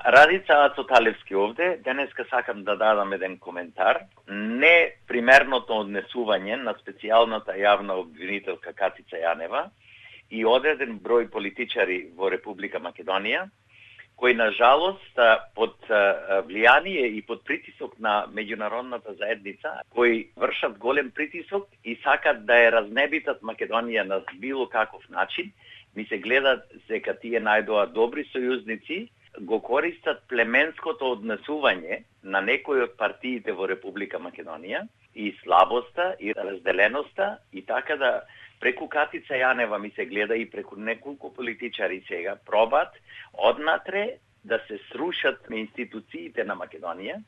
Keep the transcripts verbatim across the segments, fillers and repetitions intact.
Радица Ацоталевски овде. Денеска сакам да дадам еден коментар. Не примерното однесување на специјалната јавна обвинителка Катица Јанева и одреден број политичари во Република Македонија, кои на жалост под влијание и под притисок на меѓународната заедница, кои вршат голем притисок и сакат да ја разнебитат Македонија на било каков начин, ми се гледат дека тие најдоа добри сојузници, го користат племенското однесување на некои од партиите во Република Македонија и слабоста и разделеноста и така да преку Катица Јанева ми се гледа и преку неколку политичари сега пробат однатре да се срушат институциите на Македонија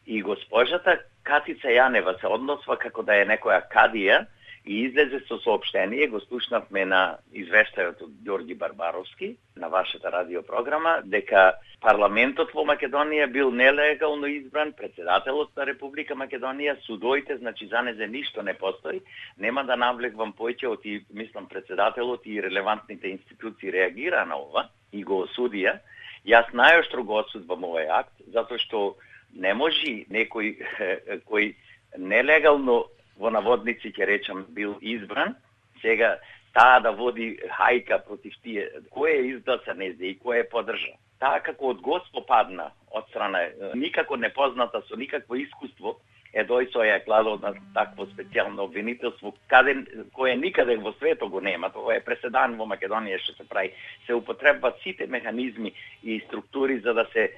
и госпожата Катица Јанева се односва како да е некоја кадија и излезе со соопштение, го слушнавме на извештајот од Ѓорѓи Барбаровски на вашата радиопрограма, дека парламентот во Македонија бил нелегално избран, председателот на Република Македонија, судоите, значи за незе ништо не постои. Нема да навлегвам поеќе, и мислам председателот и релевантните институции реагира на ова и го осудија. Јас најоштро го осудувам овој акт, затоа што не може некој кој нелегално во наводници ќе речам бил избран, сега таа да води хајка против тие, кој е изгласа незе и кој е подржа. Таа како од Госпо падна од страна, никако непозната со никакво искуство, е дој со ја кладо на такво специјално обвинителство, каде, кое никаде во светот го нема, тоа е преседан во Македонија што се прави. Се употребуваат сите механизми и структури за да се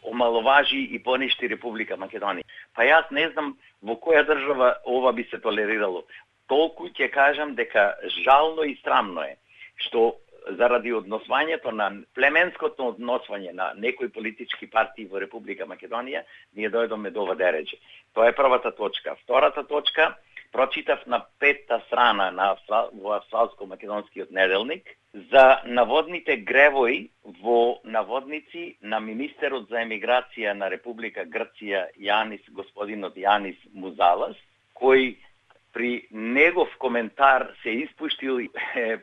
омаловажи и поништи Република Македонија. Па јас не знам во која држава ова би се толерирало. Толку ќе кажам дека жално и срамно е што заради односвањето на племенското односвање на некои политички партии во Република Македонија, ние дојдоме до ова дереđe. Тоа е првата точка. Втората точка, прочитав на петта страна на во Австралско-македонскиот неделник за наводните гревои во наводници на министерот за емиграција на Република Грција Јанис, господинот Јанис Музалас, кој при негов коментар се испуштил е,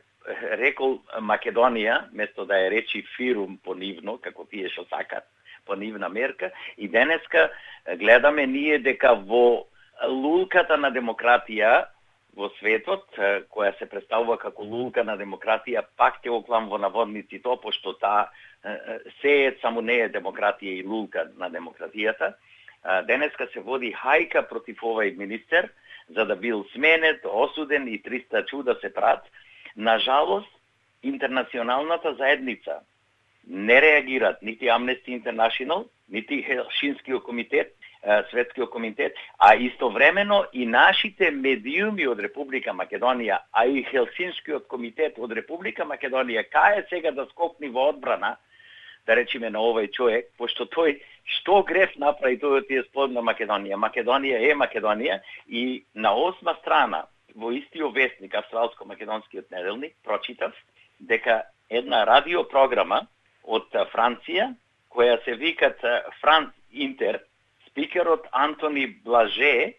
рекол Македонија, место да ја речи Фирум понивно, како тие што сакат, понивна мерка, и денеска гледаме ние дека во лулката на демократија во светот, која се представува како лулка на демократија, пак ќе оклам во наводници то, пошто таа сеет само не е демократија и лулка на демократијата. Денеска се води хајка против овој министер, за да бил сменет, осуден и триста чуда се прат. Нажалост, интернационалната заедница не реагираат, нити Amnesty International, нити Хелсинскиот комитет, Светскиот комитет, а истовремено и нашите медиуми од Република Македонија, а и Хелсинскиот комитет од Република Македонија, кај е сега да скокни во одбрана, да речеме на овој човек, пошто тој што греф направи тој од тие спомна Македонија. Македонија е Македонија и на осма страна во истиот вестник, Австралско-македонскиот неделник, прочитав дека една радиопрограма од Франција, која се викат Франц Интер, спикерот Антони Блаже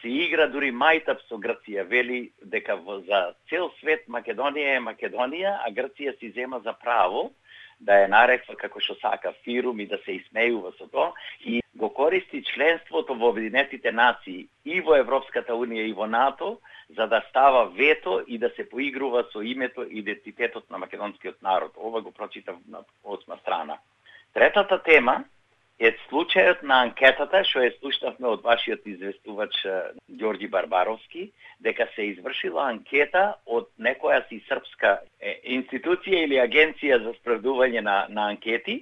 се игра дури мајтап со Грција, вели дека за цел свет Македонија е Македонија, а Грција си зема за право да ја нареква како што сака Фирум и да се исмејува со тоа и го користи членството во Обединетите нации и во Европската унија и во НАТО за да става вето и да се поигрува со името и идентитетот на македонскиот народ. Ова го прочитав на осма страна. Третата тема е случајот на анкетата, што е слушнавме од вашиот известувач Ѓорѓи Барбаровски, дека се извршила анкета од некоја си српска институција или агенција за спроведување на, на анкети,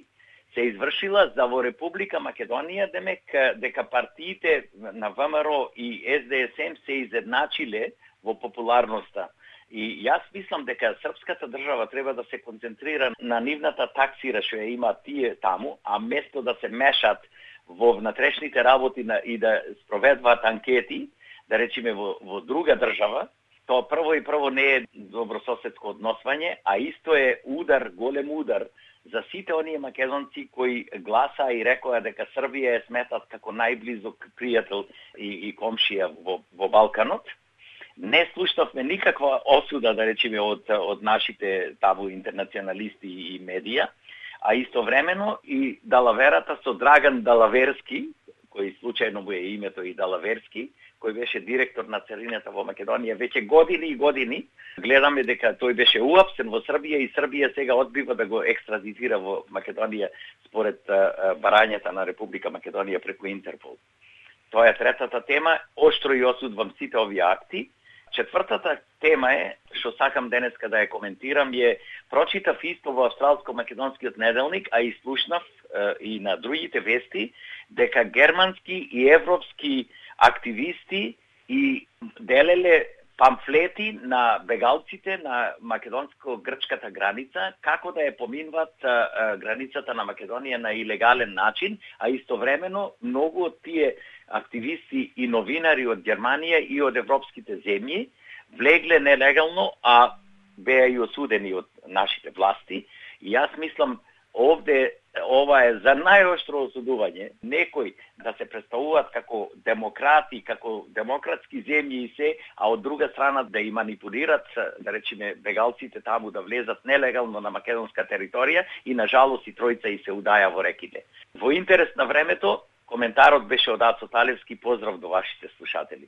се извршила за во Република Македонија, демек дека партиите на ВМРО и СДСМ се изедначиле во популарноста. И јас мислам дека српската држава треба да се концентрира на нивната таксира што ја има тие таму, а место да се мешат во внатрешните работи на, и да спроведуваат анкети, да речеме во, во друга држава, тоа прво и прво не е добрососедско односвање, а исто е удар, голем удар за сите оние македонци кои гласа и рекоа дека Србија е сметат како најблизок пријател и, и комшија во, во Балканот. Не слушнавме никаква осуда, да речеме, од, од нашите табу интернационалисти и медија, а истовремено и далаверата со Драган Далаверски, кој случајно му е името и Далаверски, кој беше директор на царината во Македонија веќе години и години. Гледаме дека тој беше уапсен во Србија и Србија сега одбива да го екстрадитира во Македонија според барањата на Република Македонија преку Интерпол. Тоа е третата тема, оштро и осудувам сите овие акти. Четвртата тема е, што сакам денеска да ја коментирам, е прочитав исто во Австралско-македонскиот неделник, а и слушнав е, и на другите вести, дека германски и европски активисти и делеле памфлети на бегалците на македонско-грчката граница, како да ја поминват а, а, границата на Македонија на илегален начин, а истовремено многу од тие активисти и новинари од Германија и од европските земји влегле нелегално, а беа и осудени од нашите власти. И јас мислам, овде ова е за најоштро осудување. Некои да се представуваат како демократи, како демократски земји и се, а од друга страна да и манипулират, да речеме, бегалците таму да влезат нелегално на македонска територија и на жалост и тројца и се удаја во реките. Во интерес на времето, коментарот беше од Ацо Талевски. Поздрав до вашите слушатели.